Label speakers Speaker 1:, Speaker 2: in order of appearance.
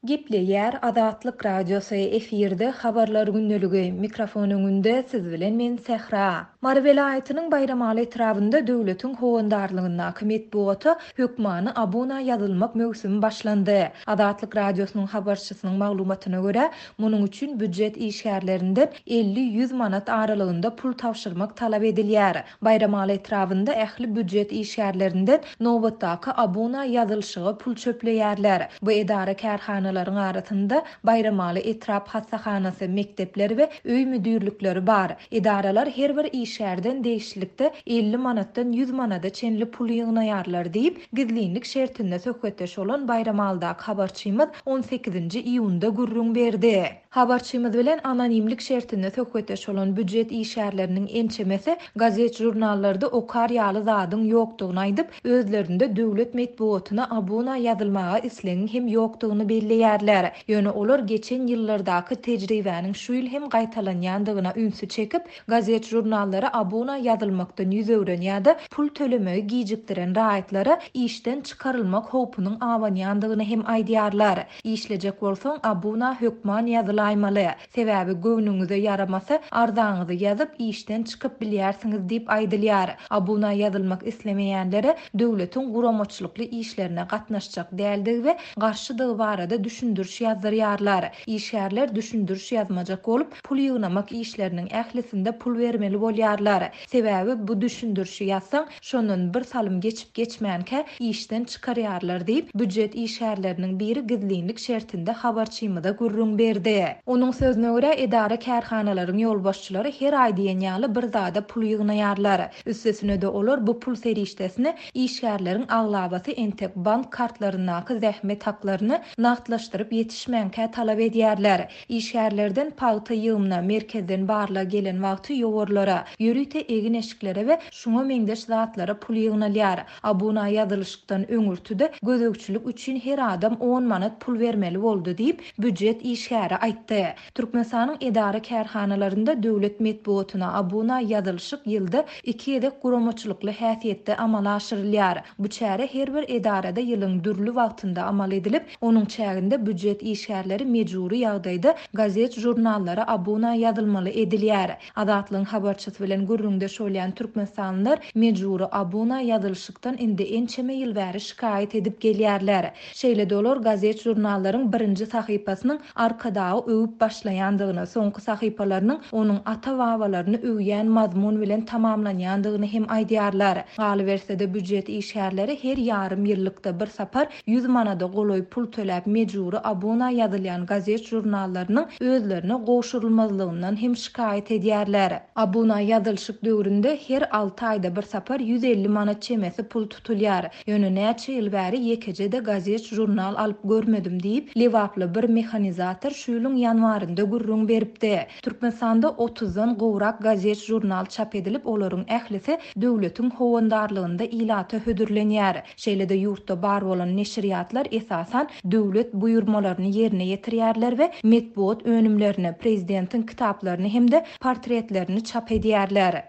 Speaker 1: Gepleýär Azatlyk Radiosy, efirde Habarlar gündeligi, mikrofon öňünde siz bilen men Sähra. Mary welaýatynyň Baýramaly etrabynda döwletiň howandarlygyndaky metbugata hökmany abuna ýazylmak möwsümi başlandy. Azatlyk Radiosynyň habarçysynyň maglumatyna görä, munuň üçin býujet işgärlerinden 50-ýüz manat aralygynda pul tabşyrmak talap edilýär. Baýramaly etrabynda ähli býujet işgärlerinden nobatdaky abuna ýazylyşyga pul çöpleýärler. Bu edara-kärhanalaryň arasynda Baýramaly etrap hassahanasy, mekdepler we öý müdirlikleri bar. Edaralar her bir işgärden degişlilikde 50 manatdan 100 manada çenli pul ýygnaýarlar diýip, gizlinlik şertinde söhbetdeş bolan Baýramalydaky habarçymyz on sekizinji iýunda gürrüň berdi. Habarçymyz bilen anonimlik şertinde söhbetdeş bolan býujet işgärleriniň ençemesi gazet-žurnallarda okar ýaly zadyň ýokdugyny aýdyp, özlerinde döwlet metbugatyna abuna ýazylmaga islegiň hem ýokdugyny belleýärler. Ýöne olar geçen ýyllardaky tejribäniň şu ýyl hem gaýtalanýandygyna ünsi çekip, Gazet-žurnallara abuna ýazylmakdan ýüz öwren ýa-da pul tölemegi gijikdiren raýatlara işden çykarylmak howpunyň abanýandygyny hem aýdýarlar. Işlejek bolsaň, abuna hökman ýazylaýmaly. Sebäbi göwnüňize ýaramasa, arzaňyzy ýazyp, işden çykyp bilýärsiňiz diýip aýdylýar. Abuna ýazylmak islemeýänlere döwletiň guramaçylykly işlerine gatnaşjak däldigi we garşydygy barada düşündiriş ýazdyrýarlar. Işgärler düşündiriş ýazmajak bolup, Pul ýygnamak işleriniň ählisinde pul bermeli bolýarlar. Sebäbi bu düşündirişi ýazsaň, şondan bir salym geçip-geçmänkä işden çykarýarlar diýip, býujet işgärleriniň biri gizlinlik şertinde habarçymyza gürrüň berdi. Onuň sözüne görä, edara-kärhanalaryň ýolbaşçylary her aý diýen ýaly bir zada pul ýygnaýarlar. Üstesine-de olar bu pul serişdesini işgärleriň aglabasy entek bank kartlaryndaky zähmet haklaryny nagtlaşdyryp ýetişmänkä talap edýärler. Işgärlerden pagta ýygymyna merkezden barlag gelen wagty ýowarlara, ýörite egin-eşiklere we şuňa meňzeş zatlara pul ýygnalýar. Abuna ýazylyşykdan öňürti-de gözegçilik üçin her adam on manat pul bermeli boldy diýip, býujet işgäri aýtdy. Türkmenistanyň edara-kärhanalarynda döwlet metbugatyna abuna ýazylyşyk ýylda iki gezek guramaçylykly häsiýetde amala aşyrylýar. Bu çäre her bir edarada ýylyň dürli wagtynda amal edilip, Onuň çäginde býujet işgärleri mejbury ýagdaýda gazet-žurnallara abuna ýazylmaly edilýär. Azatlygyň habarçysy bilen gürrüňdeş bolýan türkmenistanlylar mejbury abuna ýazylyşykdan indi ençeme ýyl bäri şikaýat edip gelýärler. Şeýle-de olar gazet-žurnallaryň birinji sahypasynyň Arkadagy öwüp başlaýandygyny, soňky sahypalarynyň onuň ata-babalaryny öwýän mazmun bilen tamamlanýandygyny hem aýdýarlar. Galyberse-de, býujet işgärleri her ýarym ýyllykda bir sapar 100 manada golaý pul töläp mejbury abuna ýazylýan gazet-žurnallarynyň özlerine gowşurylmazlygyndan hem şikaýat edýärler. Abuna ýazylyşyk döwründe her alty aýda bir sapar 150 manat çemesi pul tutulýar. Ýöne näçe ýyl bäri ýekeje-de gazet-žurnal alyp görmedim diýip, lebaply bir mehanizator şu ýylyň ýanwarynda gürrüň beripdi. Türkmenistanda otuzdan gowrak gazet-žurnal çap edilip, olaryň ählisi döwletiň howandarlygynda ilata hödürlenýär. Şeýle-de ýurtda bar bolan neşirýatlar esasan döwlet buýurmalaryny ýerine ýetirýärler we metbugat önümlerini, prezidentiň kitaplaryny hem-de portretlerini çap edýärler.